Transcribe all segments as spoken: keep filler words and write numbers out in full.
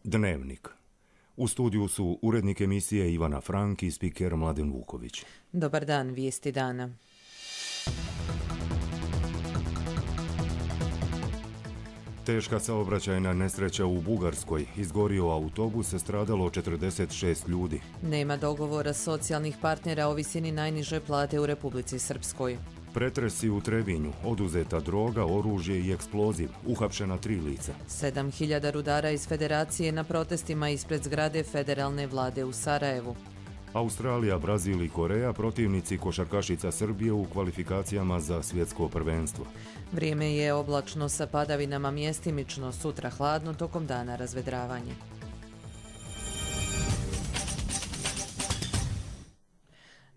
Dnevnik. U studiju su urednik emisije Ivana Frank i spiker Mladen Vuković. Dobar dan, vijesti dana. Teška saobraćajna nesreća u Bugarskoj. Izgorio autobus, stradalo četrdeset šest ljudi. Nema dogovora socijalnih partnera o visini najniže plate u Republici Srpskoj. Pretresi u Trebinju, oduzeta droga, oružje i eksploziv, uhapšena tri lica. sedam hiljada rudara iz Federacije na protestima ispred zgrade federalne vlade u Sarajevu. Australija, Brazil i Koreja protivnici košarkašica Srbije u kvalifikacijama za svjetsko prvenstvo. Vrijeme je oblačno sa padavinama, mjestimično, sutra hladno, tokom dana razvedravanje.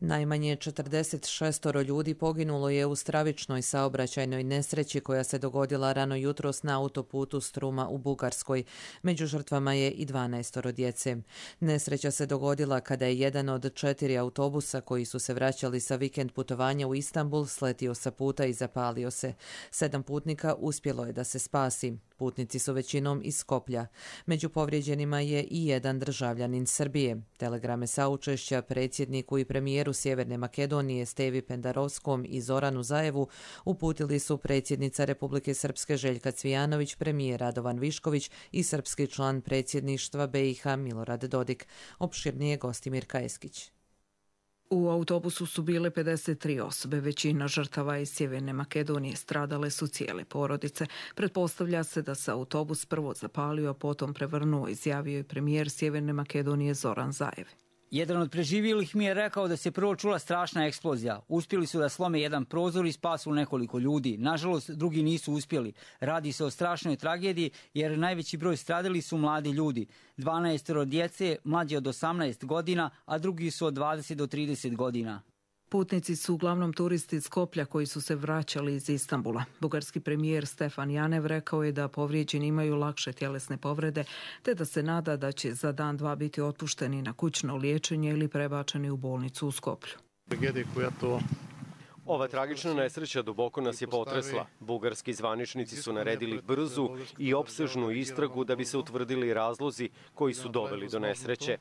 Najmanje četrdeset šest ljudi poginulo je u stravičnoj saobraćajnoj nesreći koja se dogodila rano jutros na autoputu Struma u Bugarskoj. Među žrtvama je i dvanaest djece. Nesreća se dogodila kada je jedan od četiri autobusa koji su se vraćali sa vikend putovanja u Istanbul sletio sa puta i zapalio se. Sedam putnika uspjelo je da se spasi. Putnici su većinom iz Skoplja. Među povrijeđenima je i jedan državljanin Srbije. Telegrame saučešća predsjedniku i premijeru Sjeverne Makedonije Stevi Pendarovskom i Zoranu Zaevu uputili su predsjednica Republike Srpske Željka Cvijanović, premijer Radovan Višković i srpski član predsjedništva B i H Milorad Dodik. Opširnije Gostimir Kajeskić. U autobusu su bile pedeset tri osobe, većina žrtava iz Sjeverne Makedonije, stradale su cijele porodice. Pretpostavlja se da se autobus prvo zapalio, a potom prevrnuo, izjavio je premijer Sjeverne Makedonije Zoran Zaev. Jedan od preživjelih mi je rekao da se prvo čula strašna eksplozija. Uspjeli su da slome jedan prozor i spasu nekoliko ljudi. Nažalost, drugi nisu uspjeli. Radi se o strašnoj tragediji jer najveći broj stradali su mladi ljudi. dvanaest djece, mlađi od osamnaest godina, a drugi su od dvadeset do trideset godina. Putnici su uglavnom turisti iz Skoplja koji su se vraćali iz Istanbula. Bugarski premijer Stefan Janev rekao je da povrijeđeni imaju lakše tjelesne povrede, te da se nada da će za dan dva biti otpušteni na kućno liječenje ili prebačeni u bolnicu u Skoplju. Ova tragična nesreća duboko nas je potresla. Bugarski zvaničnici su naredili brzu i opsežnu istragu da bi se utvrdili razlozi koji su doveli do nesreće.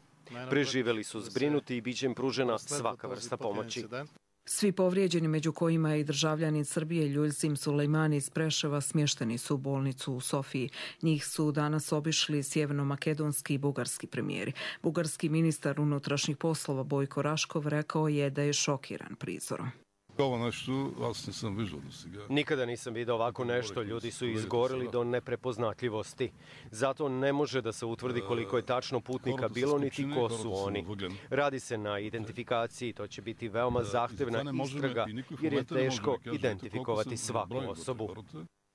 Preživeli su zbrinuti i biće im pružena svaka vrsta pomoći. Svi povrijeđeni, među kojima je i državljanin Srbije Ljuljzim Sulejmani iz Preševa, smješteni su u bolnicu u Sofiji. Njih su danas obišli sjeverno-makedonski i bugarski premijeri. Bugarski ministar unutrašnjih poslova Bojko Raškov rekao je da je šokiran prizorom. Nikada nisam vidio ovako nešto, ljudi su izgorili do neprepoznatljivosti. Zato ne može da se utvrdi koliko je tačno putnika bilo, niti ko su oni. Radi se na identifikaciji, to će biti veoma zahtevna istraga, jer je teško identifikovati svaku osobu.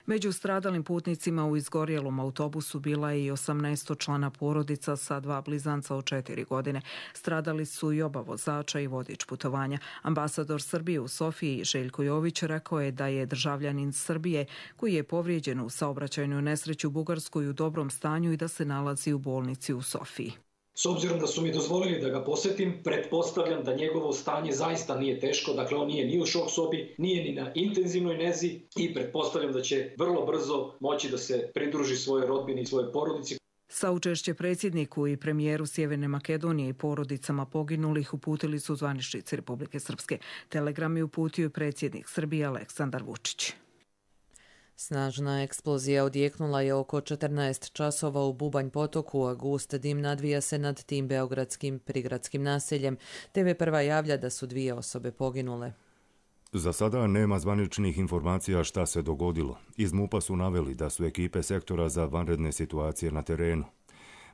Među stradalim putnicima u izgorjelom autobusu bila je i osamnaestočlana porodica sa dva blizanca od četiri godine. Stradali su i oba vozača i vodič putovanja. Ambasador Srbije u Sofiji Željko Jović rekao je da je državljanin Srbije koji je povrijeđen u saobraćajnoj nesreći u Bugarskoj u dobrom stanju i da se nalazi u bolnici u Sofiji. S obzirom da su mi dozvolili da ga posjetim, pretpostavljam da njegovo stanje zaista nije teško, dakle on nije ni u šok sobi, nije ni na intenzivnoj nezi i pretpostavljam da će vrlo brzo moći da se pridruži svojoj rodbini i svojoj porodici. Saučešće predsjedniku i premijeru Sjeverne Makedonije i porodicama poginulih uputili su zvaničnici Republike Srpske. Telegram je uputio predsjednik Srbije Aleksandar Vučić. Snažna eksplozija odjeknula je oko četrnaest časova u Bubanj potoku, a gust dim nadvija se nad tim beogradskim prigradskim naseljem. Te ve prva javlja da su dvije osobe poginule. Za sada nema zvaničnih informacija šta se dogodilo. Iz MUP-a su naveli da su ekipe sektora za vanredne situacije na terenu.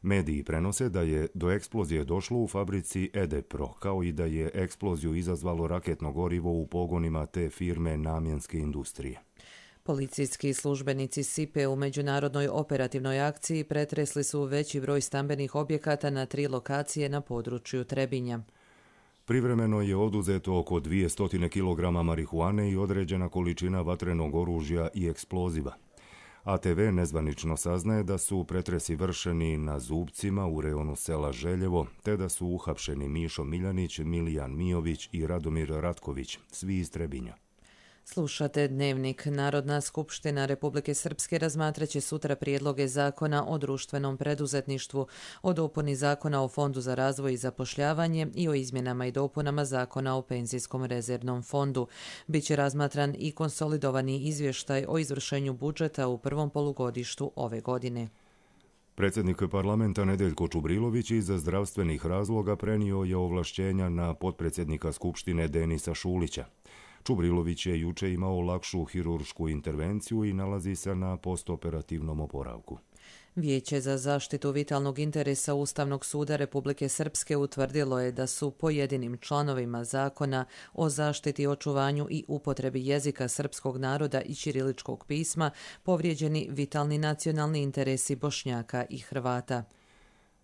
Mediji prenose da je do eksplozije došlo u fabrici Edepro, kao i da je eksploziju izazvalo raketno gorivo u pogonima te firme namjenske industrije. Policijski službenici S I P E u međunarodnoj operativnoj akciji pretresli su veći broj stambenih objekata na tri lokacije na području Trebinja. Privremeno je oduzeto oko dvjesto kilograma marihuane i određena količina vatrenog oružja i eksploziva. A T V nezvanično saznaje da su pretresi vršeni na Zubcima u rejonu sela Željevo, te da su uhapšeni Mišo Miljanić, Milijan Mijović i Radomir Ratković, svi iz Trebinja. Slušate Dnevnik. Narodna skupština Republike Srpske razmatraće sutra prijedloge zakona o društvenom preduzetništvu, o dopuni zakona o Fondu za razvoj i zapošljavanje i o izmjenama i dopunama zakona o penzijskom rezervnom fondu. Biće razmatran i konsolidovani izvještaj o izvršenju budžeta u prvom polugodištu ove godine. Predsjednik parlamenta Nedeljko Čubrilović iz zdravstvenih razloga prenio je ovlašćenja na potpredsjednika Skupštine Denisa Šulića. Čubrilović je juče imao lakšu hiruršku intervenciju i nalazi se na postoperativnom oporavku. Vijeće za zaštitu vitalnog interesa Ustavnog suda Republike Srpske utvrdilo je da su pojedinim članovima zakona o zaštiti, očuvanju i upotrebi jezika srpskog naroda i ćiriličkog pisma povrijeđeni vitalni nacionalni interesi Bošnjaka i Hrvata.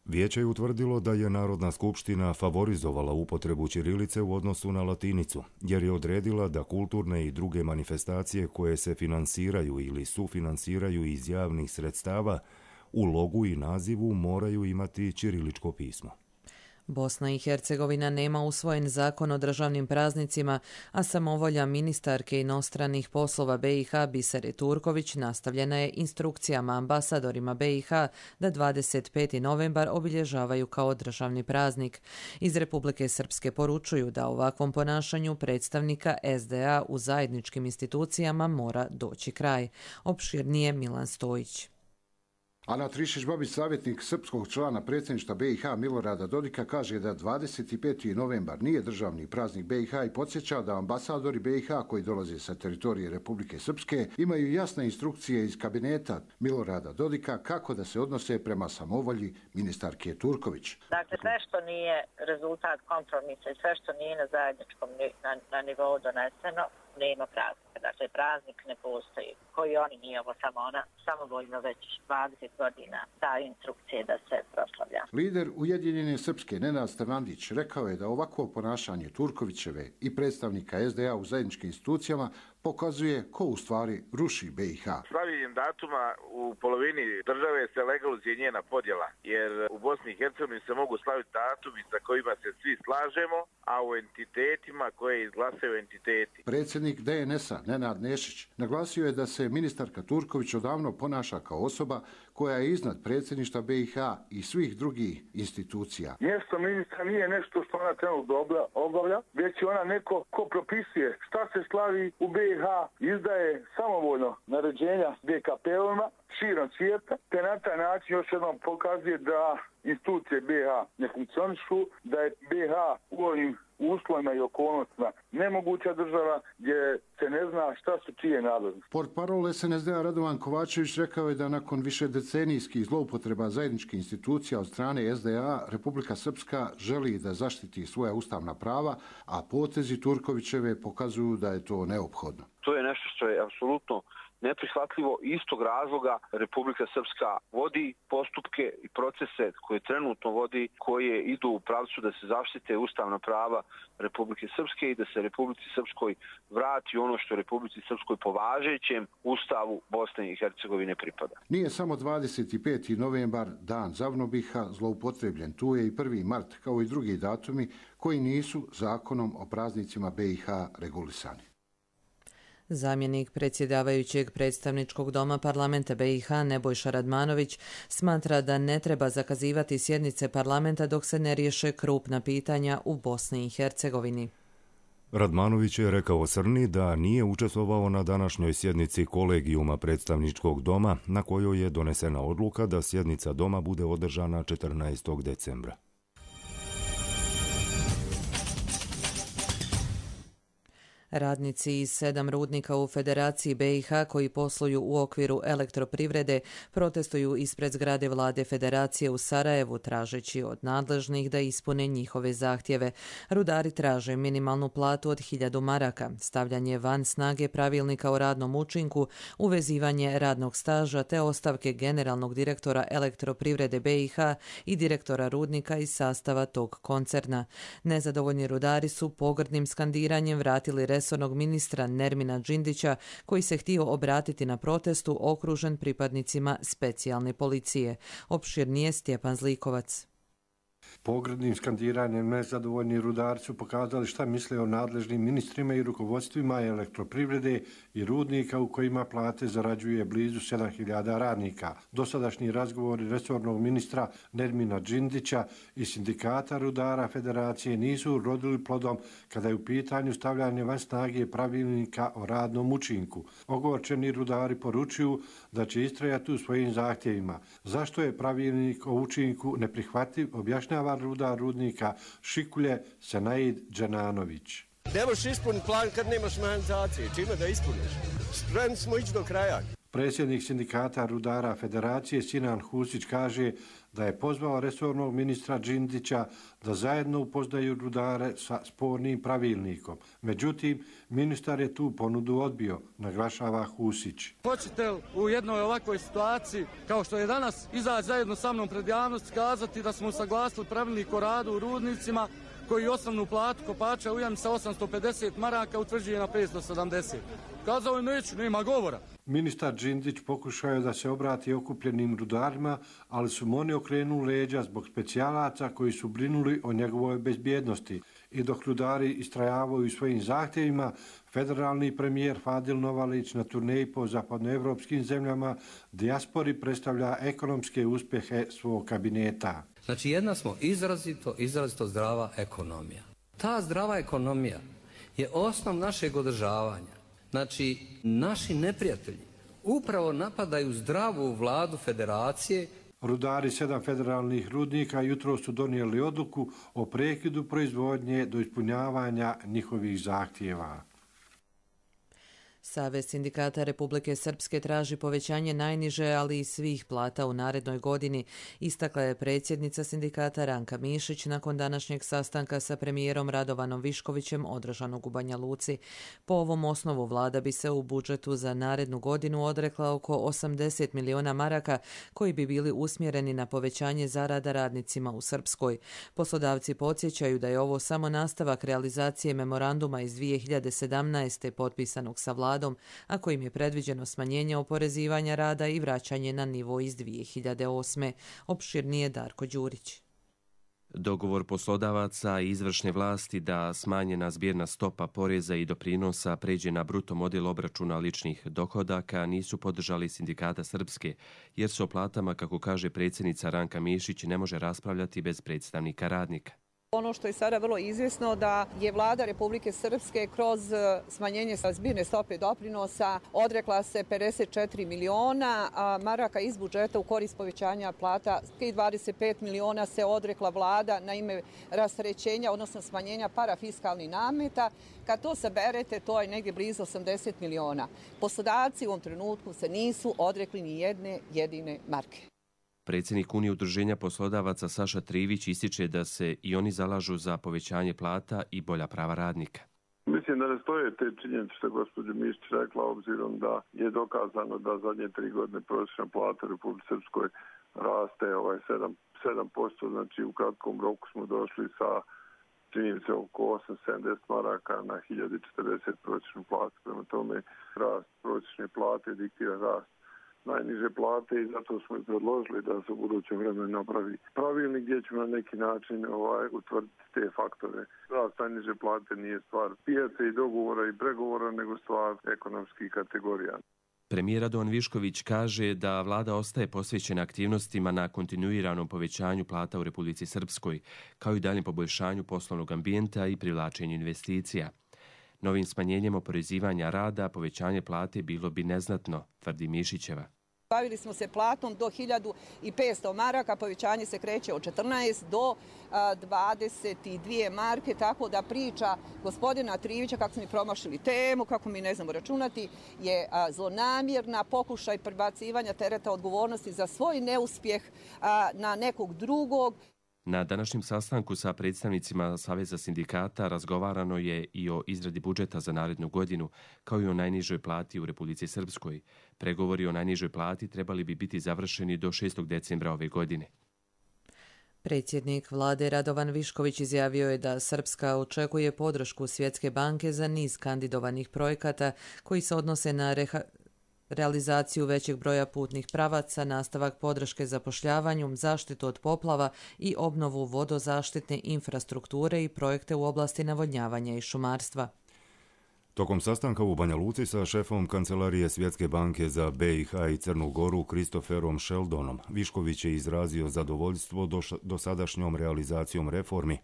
Vijeće je utvrdilo da je Narodna skupština favorizovala upotrebu ćirilice u odnosu na latinicu, jer je odredila da kulturne i druge manifestacije koje se finansiraju ili sufinansiraju iz javnih sredstava u logu i nazivu moraju imati ćiriličko pismo. Bosna i Hercegovina nema usvojen zakon o državnim praznicima, a samovolja ministarke inostranih poslova B i H Bisere Turković nastavljena je instrukcijama ambasadorima B i H da dvadeset peti novembar obilježavaju kao državni praznik. Iz Republike Srpske poručuju da ovakvom ponašanju predstavnika S D A u zajedničkim institucijama mora doći kraj. Opširnije Milan Stojić. Ana Trišić-Babić, savjetnik srpskog člana predsjedništva B i H Milorada Dodika, kaže da dvadeset peti novembar nije državni praznik B i H i podsjeća da ambasadori B i H koji dolaze sa teritorije Republike Srpske imaju jasne instrukcije iz kabineta Milorada Dodika kako da se odnose prema samovolji ministarke Turković. Dakle, sve što nije rezultat kompromisa i sve što nije na zajedničkom na, na nivou doneseno, nema praznika. Dakle, praznik ne postoji. Koji oni, nije ovo samo ona, samovoljno već dvadeset godina daju instrukcije da se proslavlja. Lider Ujedinjene Srpske Nenad Stevnandić rekao je da ovakvo ponašanje Turkovićeve i predstavnika S D A u zajedničkim institucijama pokazuje ko u stvari ruši B i H. Slavljenjem datuma u polovini države se legalizuje njena podjela, jer u Bosni i Hercegovini se mogu slaviti datumi sa kojima se svi slažemo, a u entitetima koje izglasaju entiteti. Predsjednik D N S-a Nenad Nešić naglasio je da se ministarka Turković odavno ponaša kao osoba koja je iznad predsjedništva B i H i svih drugih institucija. Mjesto ministra nije nešto što ona trenutno obavlja, već je ona neko ko propisuje šta se slavi u B i H, izdaje samovoljno naređenja D K P-ovima širom svijeta, te na taj način još jednom pokazuje da institucije B i H ne funkcionišu, da je B i H u ovim uslovima i okolnostima nemoguća država gdje se ne zna šta su čije nadležnosti. Portparol S N S D-a Radovan Kovačević rekao je da nakon više decenijskih zloupotreba zajedničkih institucija od strane S D A, Republika Srpska želi da zaštiti svoja ustavna prava, a potezi Turkovićeve pokazuju da je to neophodno. To je nešto što je apsolutno neprihvatljivo. Istog razloga Republika Srpska vodi postupke i procese koje trenutno vodi, koje idu u pravcu da se zaštite ustavna prava Republike Srpske i da se Republici Srpskoj vrati ono što Republici Srpskoj po važećem ustavu Bosne i Hercegovine pripada. Nije samo dvadeset peti novembar dan Zavnobiha zloupotrebljen, tu je i prvi mart kao i drugi datumi koji nisu zakonom o praznicima B i H regulisani. Zamjenik predsjedavajućeg predstavničkog doma parlamenta B i H Nebojša Radmanović smatra da ne treba zakazivati sjednice parlamenta dok se ne riješe krupna pitanja u Bosni i Hercegovini. Radmanović je rekao Srni da nije učestvovao na današnjoj sjednici kolegijuma predstavničkog doma na kojoj je donesena odluka da sjednica doma bude održana četrnaestog decembra. Radnici iz sedam rudnika u Federaciji B i H koji posluju u okviru elektroprivrede protestuju ispred zgrade vlade Federacije u Sarajevu tražeći od nadležnih da ispune njihove zahtjeve. Rudari traže minimalnu platu od hiljadu maraka, stavljanje van snage pravilnika o radnom učinku, uvezivanje radnog staža te ostavke generalnog direktora elektroprivrede B i H i direktora rudnika iz sastava tog koncerna. Nezadovoljni rudari su pogrdnim skandiranjem vratili resornog ministra Nermina Džindića, koji se htio obratiti na protestu okružen pripadnicima specijalne policije. Opširnije Stjepan Zlikovac. Pogrdnim skandiranjem nezadovoljni rudari su pokazali šta misle o nadležnim ministrima i rukovodstvima elektroprivrede i rudnika u kojima plate zarađuje blizu sedam hiljada radnika. Dosadašnji razgovori resornog ministra Nermina Džindića i sindikata rudara Federacije nisu urodili plodom kada je u pitanju stavljanje van snage pravilnika o radnom učinku. Ogorčeni rudari poručuju da će istrajati u svojim zahtjevima. Zašto je pravilnik o učinku neprihvatljiv, objašnjava rudar rudnika Šikulje Senaid Dženanović. Ne možeš ispuniti plan kad nemaš mehanizacije. Čime da ispuniš? Spremni smo ići do kraja. Predsjednik sindikata rudara Federacije Sinan Husić kaže da je pozvao resornog ministra Džindića da zajedno upoznaju rudare sa spornim pravilnikom. Međutim, ministar je tu ponudu odbio, naglašava Husić. Hoćete u jednoj ovakvoj situaciji, kao što je danas, izaći zajedno sa mnom pred javnost, kazati da smo usaglasili pravilnik o radu u rudnicima, koji osnovnu platu kopača u jami sa osamsto pedeset maraka utvrđuje na petsto sedamdeset. Kazao je neću, nema govora. Ministar Džindić pokušao je da se obrati okupljenim rudarima, ali su mu oni okrenuli leđa zbog specijalaca koji su brinuli o njegovoj bezbjednosti. I dok rudari istrajavaju svojim zahtjevima, federalni premijer Fadil Novalić na turneji po zapadnoevropskim zemljama dijaspori predstavlja ekonomske uspjehe svog kabineta. Znači jedna smo izrazito, izrazito zdrava ekonomija. Ta zdrava ekonomija je osnov našeg održavanja. Znači, naši neprijatelji upravo napadaju zdravu vladu Federacije. Rudari sedam federalnih rudnika jutro su donijeli odluku o prekidu proizvodnje do ispunjavanja njihovih zahtjeva. Savez sindikata Republike Srpske traži povećanje najniže, ali i svih plata u narednoj godini, istakla je predsjednica sindikata Ranka Mišić nakon današnjeg sastanka sa premijerom Radovanom Viškovićem održanog u Banja Luci. Po ovom osnovu vlada bi se u budžetu za narednu godinu odrekla oko osamdeset miliona maraka koji bi bili usmjereni na povećanje zarada radnicima u Srpskoj. Poslodavci podsjećaju da je ovo samo nastavak realizacije memoranduma iz dvije hiljade sedamnaeste. potpisanog sa vladom, a kojim je predviđeno smanjenje oporezivanja rada i vraćanje na nivo iz dvije hiljade osme. Opširnije Darko Đurić. Dogovor poslodavaca i izvršne vlasti da smanjena zbirna stopa poreza i doprinosa pređe na bruto model obračuna ličnih dohodaka nisu podržali sindikata Srpske, jer se o platama, kako kaže predsjednica Ranka Mišić, ne može raspravljati bez predstavnika radnika. Ono što je sada vrlo izvjesno da je vlada Republike Srpske kroz smanjenje zbirne stope doprinosa odrekla se pedeset četiri miliona maraka iz budžeta u korist povećanja plata i dvadeset pet miliona se odrekla vlada na ime rasterećenja, odnosno smanjenja parafiskalnih nameta. Kad to saberete, to je negdje blizu osamdeset miliona. Poslodavci u ovom trenutku se nisu odrekli ni jedne jedine marke. Predsjednik Unije udruženja poslodavaca Saša Trivić ističe da se i oni zalažu za povećanje plata i bolja prava radnika. Mislim da ne stoje te činjenice što je gospođa Mišić rekla, obzirom da je dokazano da zadnje tri godine prosječna plata u Republici Srpskoj raste ovaj sedam posto, znači u kratkom roku smo došli sa činjenice oko osamsto sedamdeset maraka na hiljadu četrdeset prosječnu platu. Prema tome rast prosječne plate diktira rast najniže plate i zato smo i predložili da se u budućem vremenu napravi pravilnik gdje ćemo na neki način ovaj, utvrditi te faktore. Rast najniže plate nije stvar pijace i dogovora i pregovora, nego stvar ekonomskih kategorija. Premijer Radovan Višković kaže da vlada ostaje posvećena aktivnostima na kontinuiranom povećanju plata u Republici Srpskoj, kao i daljem poboljšanju poslovnog ambijenta i privlačenju investicija. Novim smanjenjem oporezivanja rada povećanje plate bilo bi neznatno, tvrdi Mišićeva. Bavili smo se platom do hiljadu petsto maraka, povećanje se kreće od četrnaest do dvadeset dvije marke, tako da priča gospodina Trivića kako smo mi promašili temu, kako mi ne znamo računati, je zlonamjerna, pokušaj prebacivanja tereta odgovornosti za svoj neuspjeh na nekog drugog. Na današnjem sastanku sa predstavnicima Saveza sindikata razgovarano je i o izradi budžeta za narednu godinu, kao i o najnižoj plati u Republici Srpskoj. Pregovori o najnižoj plati trebali bi biti završeni do šestog decembra ove godine. Predsjednik vlade Radovan Višković izjavio je da Srpska očekuje podršku Svjetske banke za niz kandidovanih projekata koji se odnose na reha... realizaciju većeg broja putnih pravaca, nastavak podrške zapošljavanju, zaštitu od poplava i obnovu vodozaštitne infrastrukture i projekte u oblasti navodnjavanja i šumarstva. Tokom sastanka u Banja Luci sa šefom Kancelarije Svjetske banke za B i H i Crnu Goru Christopherom Sheldonom, Višković je izrazio zadovoljstvo dosadašnjom realizacijom reformi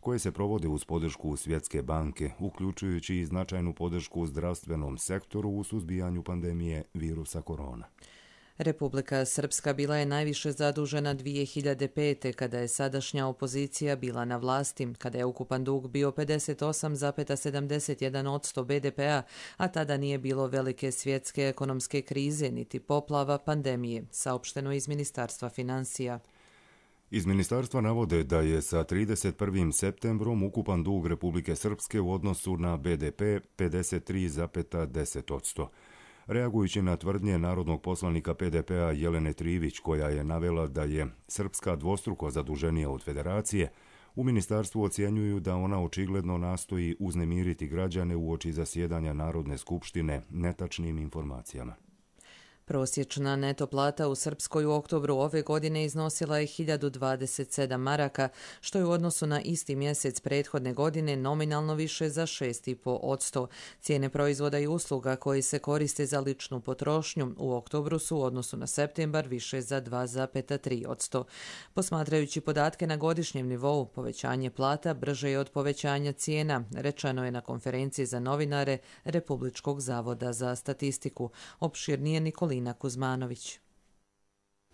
koje se provode uz podršku Svjetske banke, uključujući i značajnu podršku zdravstvenom sektoru u suzbijanju pandemije virusa korona. Republika Srpska bila je najviše zadužena dvije hiljade pete. kada je sadašnja opozicija bila na vlasti, kada je ukupan dug bio pedeset osam zarez sedamdeset jedan posto be de pea, a tada nije bilo velike svjetske ekonomske krize niti poplava pandemije, saopšteno iz Ministarstva financija. Iz ministarstva navode da je sa trideset prvim septembrom ukupan dug Republike Srpske u odnosu na be de pe pedeset tri zarez deset posto. Reagujući na tvrdnje narodnog poslanika pe de pea Jelene Trivić, koja je navela da je Srpska dvostruko zaduženija od Federacije, u ministarstvu ocjenjuju da ona očigledno nastoji uznemiriti građane uoči zasjedanja Narodne skupštine netačnim informacijama. Prosječna neto plata u Srpskoj u oktobru ove godine iznosila je hiljadu dvadeset sedam maraka, što je u odnosu na isti mjesec prethodne godine nominalno više za šest zarez pet posto. Cijene proizvoda i usluga koji se koriste za ličnu potrošnju u oktobru su u odnosu na septembar više za dva zarez tri posto. Posmatrajući podatke na godišnjem nivou, povećanje plata brže je od povećanja cijena, rečeno je na konferenciji za novinare Republičkog zavoda za statistiku. Opširnije Nikolina Kuzmanović.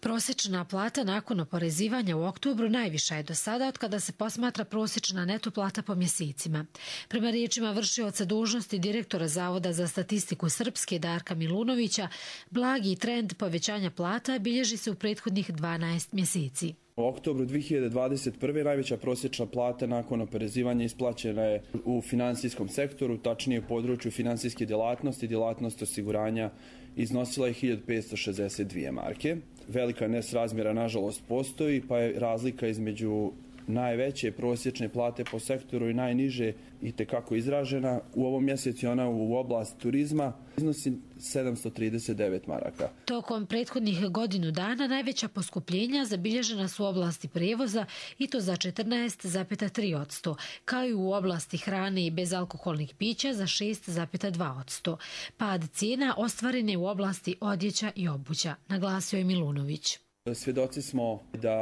Prosječna plata nakon oporezivanja u oktobru najviša je do sada od kada se posmatra prosječna neto plata po mjesecima. Prema riječima vršioca dužnosti direktora Zavoda za statistiku Srpske Darka Milunovića, blagi trend povećanja plata bilježi se u prethodnih dvanaest mjeseci. U oktobru dvije hiljade dvadeset prve. najveća prosječna plata nakon oporezivanja isplaćena je u finansijskom sektoru, tačnije u području finansijske djelatnosti, djelatnost osiguranja iznosila je hiljadu petsto šezdeset dvije marke. Velika nesrazmjera nažalost postoji, pa je razlika između najveće prosječne plate po sektoru i najniže i tekako izražena. U ovom mjesecu ona u oblasti turizma iznosi sedamsto trideset devet maraka. Tokom prethodnih godinu dana najveća poskupljenja zabilježena su u oblasti prijevoza i to za četrnaest zarez tri posto, kao i u oblasti hrane i bezalkoholnih pića za šest zarez dva posto. Pad cijena ostvaren je u oblasti odjeća i obuća, naglasio je Milunović. Svjedoci smo da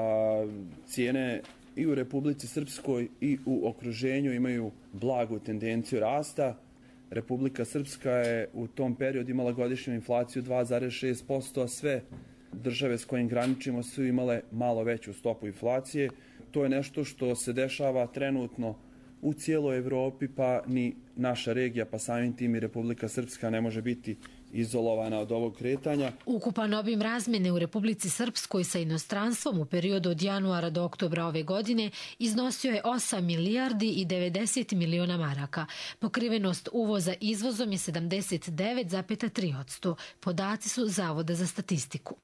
cijene i u Republici Srpskoj i u okruženju imaju blagu tendenciju rasta. Republika Srpska je u tom periodu imala godišnju inflaciju dva zarez šest posto, a sve države s kojim graničimo su imale malo veću stopu inflacije. To je nešto što se dešava trenutno u cijeloj Evropi, pa ni naša regija, pa samim tim i Republika Srpska ne može biti izolovana od ovog kretanja. Ukupan obim razmjene u Republici Srpskoj sa inostranstvom u periodu od januara do oktobra ove godine iznosio je osam milijardi i devedeset miliona maraka. Pokrivenost uvoza izvozom je sedamdeset devet zarez tri posto. Podaci su Zavoda za statistiku.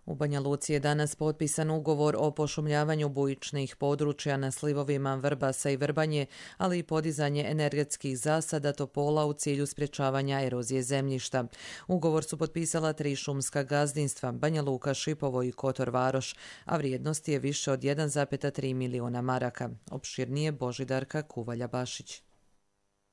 U Banja Luci je danas potpisan ugovor o pošumljavanju bujičnih područja na slivovima Vrbasa i Vrbanje, ali i podizanje energetskih zasada topola u cilju sprječavanja erozije zemljišta. Ugovor su potpisala tri šumska gazdinstva, Banja Luka, Šipovo i Kotor Varoš, a vrijednost je više od jedan zarez tri miliona maraka. Opširnije Božidarka Kuvalja-Bašić.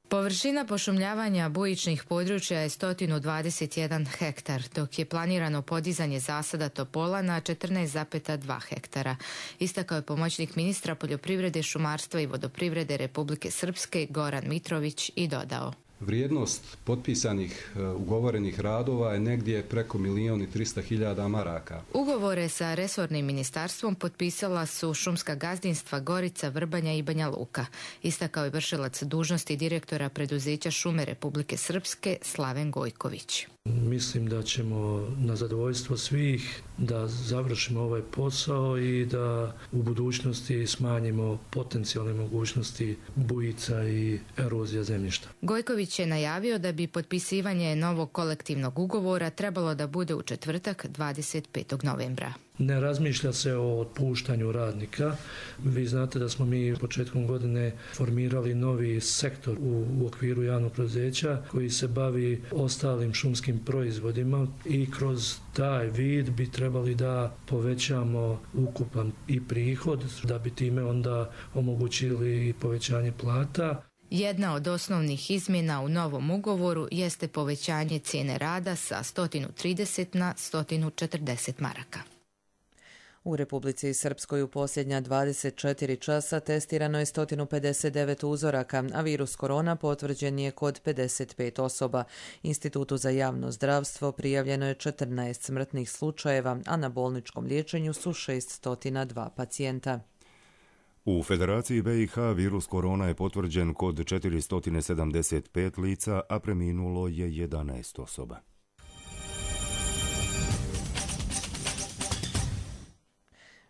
Površina pošumljavanja bujičnih područja je sto dvadeset jedan hektar, dok je planirano podizanje zasada topola na četrnaest zarez dva hektara. Istakao je pomoćnik ministra poljoprivrede, šumarstva i vodoprivrede Republike Srpske Goran Mitrović i dodao: Vrijednost potpisanih ugovorenih radova je negdje preko milijon i trista hiljada maraka. Ugovore sa resornim ministarstvom potpisala su šumska gazdinstva Gorica, Vrbanja i Banja Luka. Istakao je vršilac dužnosti direktora preduzeća Šume Republike Srpske Slaven Gojković. Mislim da ćemo na zadovoljstvo svih da završimo ovaj posao i da u budućnosti smanjimo potencijalne mogućnosti bujica i erozija zemljišta. Gojković je najavio da bi potpisivanje novog kolektivnog ugovora trebalo da bude u četvrtak dvadeset petog novembra. Ne razmišlja se o otpuštanju radnika. Vi znate da smo mi početkom godine formirali novi sektor u, u okviru javnog preduzeća koji se bavi ostalim šumskim proizvodima i kroz taj vid bi trebali da povećamo ukupan i prihod, da bi time onda omogućili povećanje plata. Jedna od osnovnih izmjena u novom ugovoru jeste povećanje cijene rada sa sto trideset na sto četrdeset maraka. U Republici Srpskoj u posljednja dvadeset četiri časa testirano je sto pedeset devet uzoraka, a virus korona potvrđen je kod pedeset pet osoba. Institutu za javno zdravstvo prijavljeno je četrnaest smrtnih slučajeva, a na bolničkom liječenju su šeststo dva pacijenta. U Federaciji B i H virus korona je potvrđen kod četiristo sedamdeset pet lica, a preminulo je jedanaest osoba.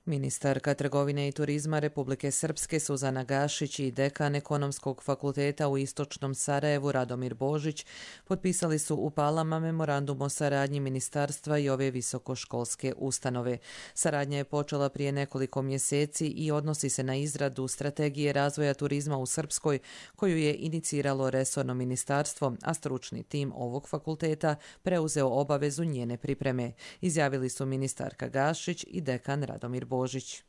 Ministarka trgovine i turizma Republike Srpske Suzana Gašić i dekan Ekonomskog fakulteta u Istočnom Sarajevu Radomir Božić potpisali su u Palama memorandum o saradnji ministarstva i ove visokoškolske ustanove. Saradnja je počela prije nekoliko mjeseci i odnosi se na izradu strategije razvoja turizma u Srpskoj koju je iniciralo resorno ministarstvo, a stručni tim ovog fakulteta preuzeo obavezu njene pripreme. Izjavili su ministarka Gašić i dekan Radomir Božić. Božić.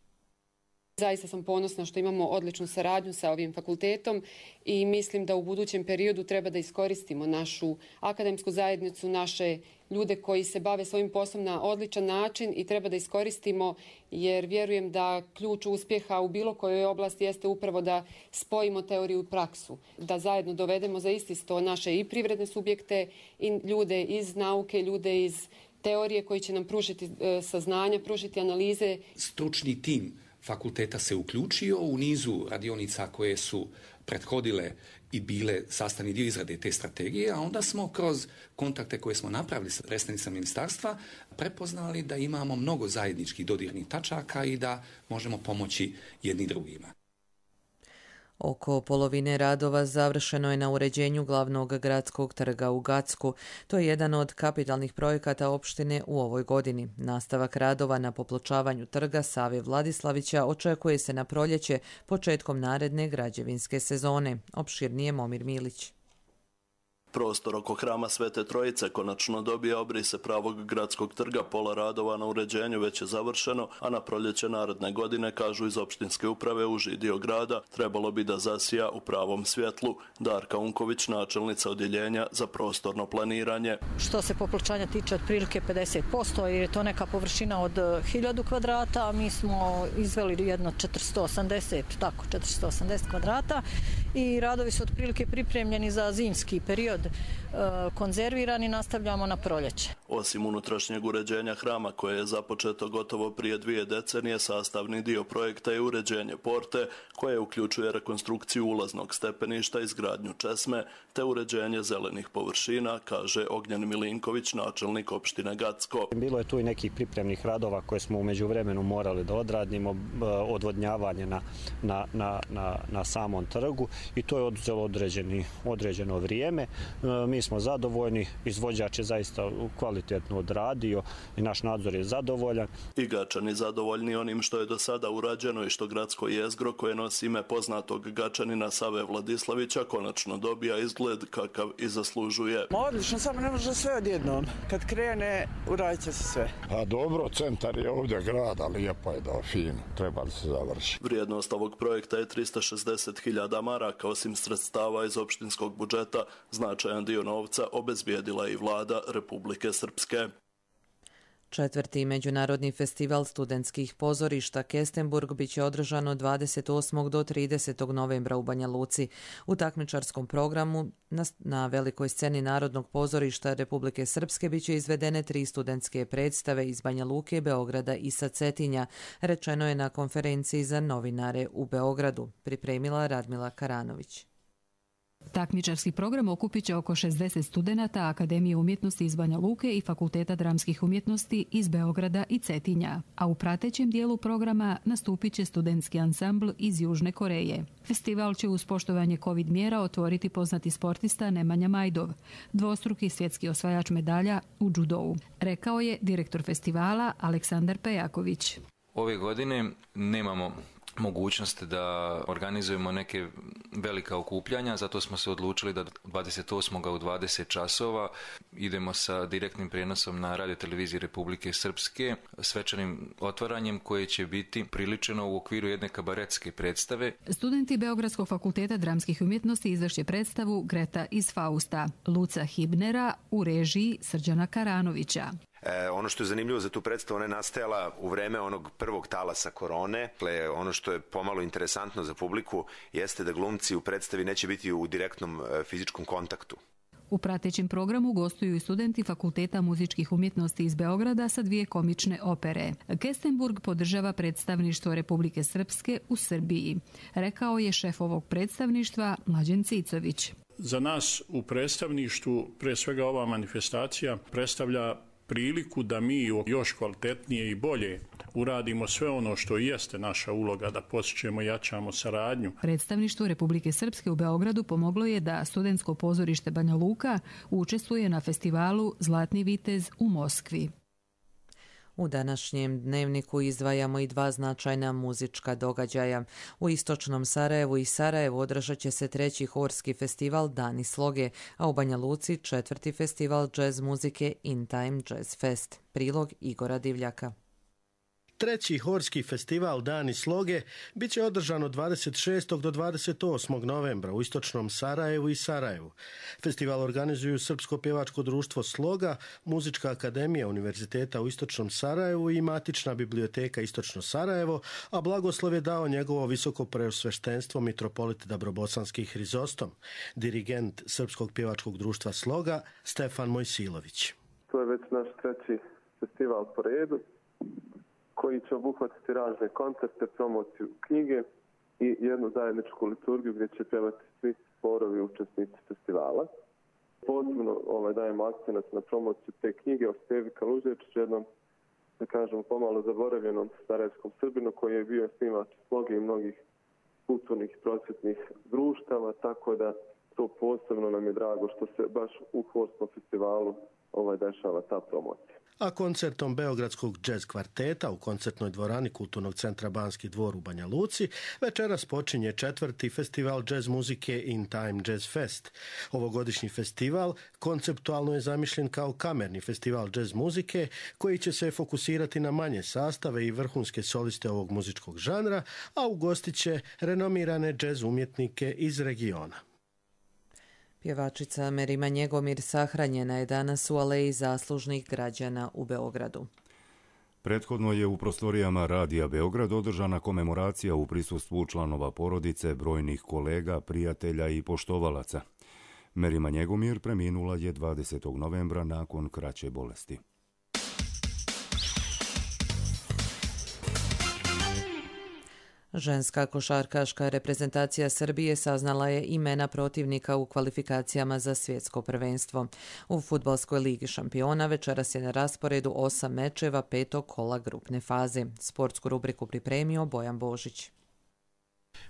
Zaista sam ponosna što imamo odličnu saradnju sa ovim fakultetom i mislim da u budućem periodu treba da iskoristimo našu akademsku zajednicu, naše ljude koji se bave svojim poslom na odličan način i treba da iskoristimo jer vjerujem da ključ uspjeha u bilo kojoj oblasti jeste upravo da spojimo teoriju i praksu, da zajedno dovedemo za isti sto naše i privredne subjekte i ljude iz nauke, ljude iz teorije koji će nam pružiti saznanja, pružiti analize. Stručni tim fakulteta se uključio u nizu radionica koje su prethodile i bile sastavni dio izrade te strategije, a onda smo kroz kontakte koje smo napravili sa predstavnicima ministarstva prepoznali da imamo mnogo zajedničkih dodirnih tačaka i da možemo pomoći jedni drugima. Oko polovine radova završeno je na uređenju glavnog gradskog trga u Gacku. To je jedan od kapitalnih projekata opštine u ovoj godini. Nastavak radova na popločavanju trga Save Vladislavića očekuje se na proljeće početkom naredne građevinske sezone. Opširnije Momir Milić. Prostor oko hrama Svete Trojice konačno dobija obrise pravog gradskog trga, pola radova na uređenju već je završeno, a na proljeće naredne godine, kažu iz opštinske uprave, uži dio grada trebalo bi da zasija u pravom svjetlu. Darka Unković, načelnica odjeljenja za prostorno planiranje. Što se popločanja tiče otprilike pedeset posto, jer je to neka površina od hiljadu kvadrata, a mi smo izveli jedno četiristo osamdeset, tako, četiristo osamdeset kvadrata i radovi su otprilike pripremljeni za zimski period, konzervirani, nastavljamo na proljeće. Osim unutrašnjeg uređenja hrama koje je započeto gotovo prije dvije decenije, sastavni dio projekta je uređenje porte koje uključuje rekonstrukciju ulaznog stepeništa, izgradnju česme te uređenje zelenih površina, kaže Ognjen Milinković, načelnik opštine Gacko. Bilo je tu i nekih pripremnih radova koje smo u međuvremenu morali da odradimo, odvodnjavanje na, na, na, na, na samom trgu i to je oduzelo određeni, određeno vrijeme. Mi smo zadovoljni, izvođač je zaista kvalitetno odradio i naš nadzor je zadovoljan. I Gačani zadovoljni onim što je do sada urađeno i što gradsko jezgro koje nosi ime poznatog Gačanina Save Vladislavića konačno dobija izgled kakav i zaslužuje. Odlično, samo ne može sve odjednom. Kad krene, uradit će se sve. A dobro, centar je ovdje grada, lijepo je da fino, treba da se završi. Vrijednost ovog projekta je tristo šezdeset hiljada maraka, osim sredstava iz opštinskog budžeta. Značajan dio novca obezbijedila i vlada Republike Srpske. Četvrti međunarodni festival studentskih pozorišta Kestenburg biće održan od dvadeset osmog do tridesetog novembra u Banja Luci. U takmičarskom programu na, na velikoj sceni Narodnog pozorišta Republike Srpske biće izvedene tri studentske predstave iz Banja Luke, Beograda i sa Cetinja, rečeno je na konferenciji za novinare u Beogradu, pripremila Radmila Karanović. Takmičarski program okupit će oko šezdeset studenata Akademije umjetnosti iz Banja Luke i Fakulteta dramskih umjetnosti iz Beograda i Cetinja, a u pratećem dijelu programa nastupit će studentski ansambl iz Južne Koreje. Festival će uz poštovanje covid mjera otvoriti poznati sportista Nemanja Majdov, dvostruki svjetski osvajač medalja u džudou, rekao je direktor festivala Aleksandar Pejaković. Ove godine nemamo mogućnost da organizujemo neke velika okupljanja, zato smo se odlučili da dvadeset osmog u dvadeset časova idemo sa direktnim prijenosom na radioteleviziji Republike Srpske, svečanim otvaranjem koje će biti priličeno u okviru jedne kabaretske predstave. Studenti Beogradskog fakulteta dramskih umjetnosti izvešće predstavu Greta iz Fausta, Luca Hibnera u režiji Srđana Karanovića. E, ono što je zanimljivo za tu predstavu, ona je nastajala u vreme onog prvog talasa korone. Dakle, ono što je pomalo interesantno za publiku jeste da glumci u predstavi neće biti u direktnom e, fizičkom kontaktu. U pratećem programu gostuju i studenti Fakulteta muzičkih umjetnosti iz Beograda sa dvije komične opere. Kestenburg podržava predstavništvo Republike Srpske u Srbiji, rekao je šef ovog predstavništva Mlađen Cicović. Za nas u predstavništvu, pre svega ova manifestacija predstavlja priliku da mi još kvalitetnije i bolje uradimo sve ono što jeste naša uloga, da podsjećamo i jačamo saradnju. Predstavništvo Republike Srpske u Beogradu pomoglo je da studentsko pozorište Banja Luka učestvuje na festivalu Zlatni vitez u Moskvi. U današnjem dnevniku izdvajamo i dva značajna muzička događaja. U istočnom Sarajevu i Sarajevu održat će se treći horski festival Dani sloge, a u Banja Luci četvrti festival džez muzike In Time Jazz Fest. Prilog Igora Divljaka. Treći horski festival Dani sloge bit će održan od dvadeset šestog do dvadeset osmog novembra u istočnom Sarajevu i Sarajevu. Festival organizuju Srpsko pjevačko društvo Sloga, Muzička akademija Univerziteta u istočnom Sarajevu i Matična biblioteka Istočno Sarajevo, a blagoslov je dao njegovo visoko preosveštenstvo mitropolit Dabrobosanski Hrizostom, dirigent Srpskog pjevačkog društva Sloga Stefan Mojsilović. To je već naš treći festival po redu, koji će obuhvatiti razne koncerte, promociju knjige i jednu zajedničku liturgiju gdje će pjevati svi zborovi učesnici festivala. Posebno ovaj, dajemo akcenat na promociju te knjige o Stevi Kaluževiću, jednom, da kažemo, pomalo zaboravljenom sarajevskom Srbinu koji je bio snimač sloge i mnogih kulturnih prosvjetnih društava, tako da to posebno nam je drago što se baš u horskom festivalu ovaj, dešava ta promocija. A koncertom Beogradskog džez kvarteta u koncertnoj dvorani Kulturnog centra Banski dvor u Banja Luci večeras počinje četvrti festival džez muzike In Time Jazz Fest. Ovogodišnji festival konceptualno je zamišljen kao kamerni festival džez muzike koji će se fokusirati na manje sastave i vrhunske soliste ovog muzičkog žanra, a ugostit će renomirane džez umjetnike iz regiona. Pjevačica Merima Njegomir sahranjena je danas u Aleji zaslužnih građana u Beogradu. Prethodno je u prostorijama Radija Beograd održana komemoracija u prisustvu članova porodice, brojnih kolega, prijatelja i poštovalaca. Merima Njegomir preminula je dvadesetog novembra nakon kraće bolesti. Ženska košarkaška reprezentacija Srbije saznala je imena protivnika u kvalifikacijama za svjetsko prvenstvo. U Fudbalskoj ligi šampiona večeras je na rasporedu osam mečeva petog kola grupne faze. Sportsku rubriku pripremio Bojan Božić.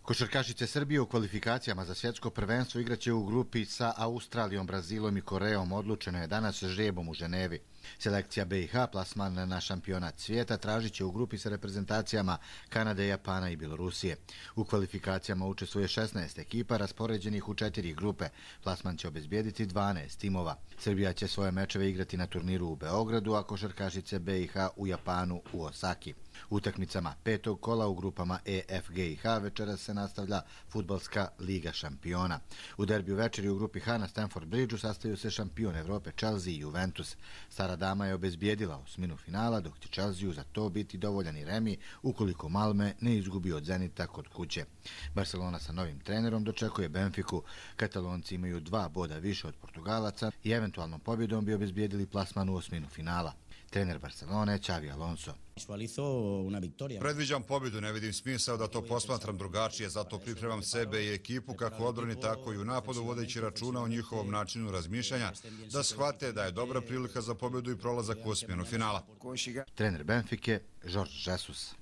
Košarkašice Srbije u kvalifikacijama za svjetsko prvenstvo igraće u grupi sa Australijom, Brazilom i Korejom. Odlučeno je danas žrebom u Ženevi. Selekcija B i H plasman na šampionat svijeta tražit će u grupi sa reprezentacijama Kanade, Japana i Bjelorusije. U kvalifikacijama učestvuje šesnaest ekipa raspoređenih u četiri grupe. Plasman će obezbijediti dvanaest timova. Srbija će svoje mečeve igrati na turniru u Beogradu, a košarkašice B i H u Japanu u Osaki. Utakmicama petog kola u grupama E, F, G i H večeras se nastavlja Fudbalska liga šampiona. U derbiju večeri u grupi H na Stamford Bridgeu sastaju se šampion Evrope Chelsea i Juventus. Stara dama je obezbijedila osminu finala, dok će Chelsea za to biti dovoljan i remi ukoliko Malme ne izgubi od Zenita kod kuće. Barcelona sa novim trenerom dočekuje Benfiku. Katalonci imaju dva boda više od Portugalaca i eventualnom pobjedom bi obezbijedili plasman u osminu finala. trener Barcelone Xavi Alonso. Predviđam pobjedu, ne vidim smisao da to posmatram drugačije, zato pripremam sebe i ekipu kako u odbrani, tako i u napadu, vodeći računa o njihovom načinu razmišljanja, da shvate da je dobra prilika za pobjedu i prolazak u osminu finala. Trener Benfike Jorge Jesus.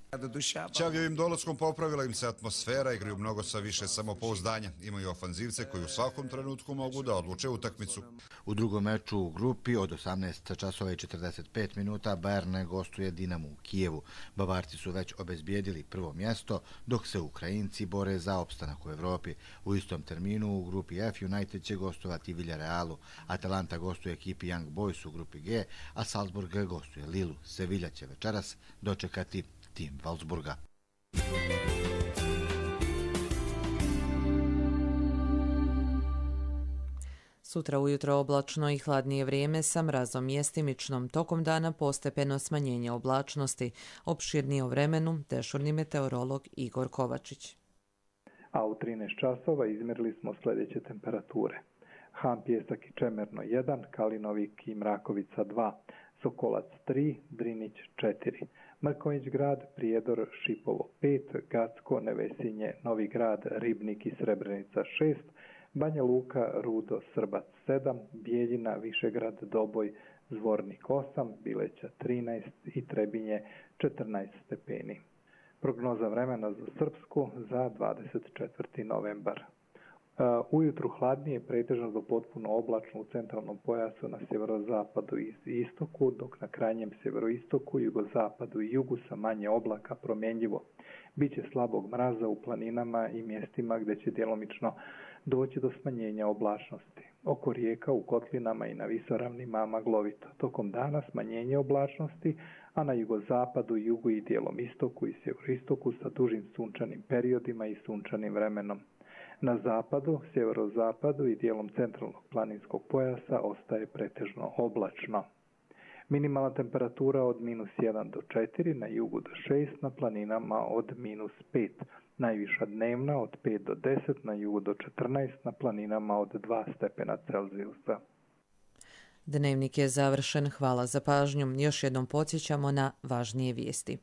Xavijevim dolaskom popravila im se atmosfera, igraju mnogo sa više samopouzdanja. Imaju ofanzivce koji u svakom trenutku mogu da odluče utakmicu. U drugom meču u grupi od osamnaest časova i četrdeset pet minuta Bayern gostuje Dinamo u Kijevu. Bavarci su već obezbijedili prvo mjesto, dok se Ukrajinci bore za opstanak u Evropi. U istom terminu u grupi F United će gostovati Villarealu, Atalanta gostuje ekipi Young Boys u grupi G, a Salzburg gostuje Lilu. Sevilla će večeras dočekati tim Wolfsburga. Sutra ujutro oblačno i hladnije vrijeme sa mrazom mjestimičnom. Tokom dana postepeno smanjenje oblačnosti. Opširnije o vremenu dežurni meteorolog Igor Kovačić. A u trinaest časova izmjerili smo sljedeće temperature. Han, Pjesak i Čemerno jedan, Kalinovik i Mrakovica dva, Sokolac tri, Drinić četiri, Mrkonjić grad, Prijedor, Šipovo pet, Gacko, Nevesinje, Novi grad, Ribnik i Srebrenica šest, Banja Luka, Rudo, Srbac sedam, Bijeljina, Višegrad, Doboj, Zvornik osam, Bileća trinaest i Trebinje četrnaest stepeni. Prognoza vremena za Srpsku za dvadeset četvrti novembar. Ujutru hladnije, pretežno do potpuno oblačno u centralnom pojasu na sjeverozapadu i istoku, dok na krajnjem sjeveroistoku, jugozapadu i jugu sa manje oblaka promjenjivo. Biće slabog mraza u planinama i mjestima gdje će djelomično doći do smanjenja oblačnosti. Oko rijeka u kotlinama i na visoravnima maglovito. Tokom dana smanjenje oblačnosti, a na jugozapadu, jugu i dijelom istoku i sjeveroistoku sa dužim sunčanim periodima i sunčanim vremenom. Na zapadu, sjeverozapadu i dijelom centralnog planinskog pojasa ostaje pretežno oblačno. Minimalna temperatura od minus jedan do četiri, na jugu do šest, na planinama od minus pet. Najviša dnevna od pet do deset, na jugu do četrnaest, na planinama od dva stepena Celzijusa. Dnevnik je završen. Hvala za pažnju. Još jednom podsjećamo na važnije vijesti.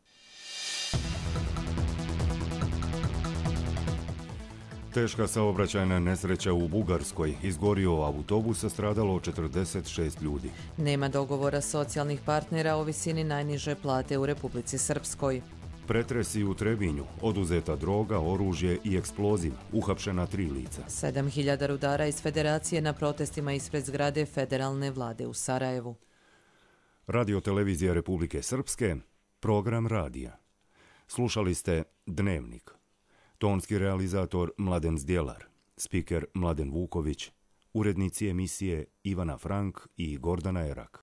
Teška saobraćajna nesreća u Bugarskoj. Izgorio autobus, stradalo četrdeset šest ljudi. Nema dogovora socijalnih partnera o visini najniže plate u Republici Srpskoj. Pretresi u Trebinju, oduzeta droga, oružje i eksploziv, uhapšena tri lica. sedam hiljada rudara iz Federacije na protestima ispred zgrade federalne vlade u Sarajevu. Radio televizija Republike Srpske, program radija. Slušali ste Dnevnik. Tonski realizator Mladen Zdjelar, spiker Mladen Vuković, urednici emisije Ivana Frank i Gordana Erak.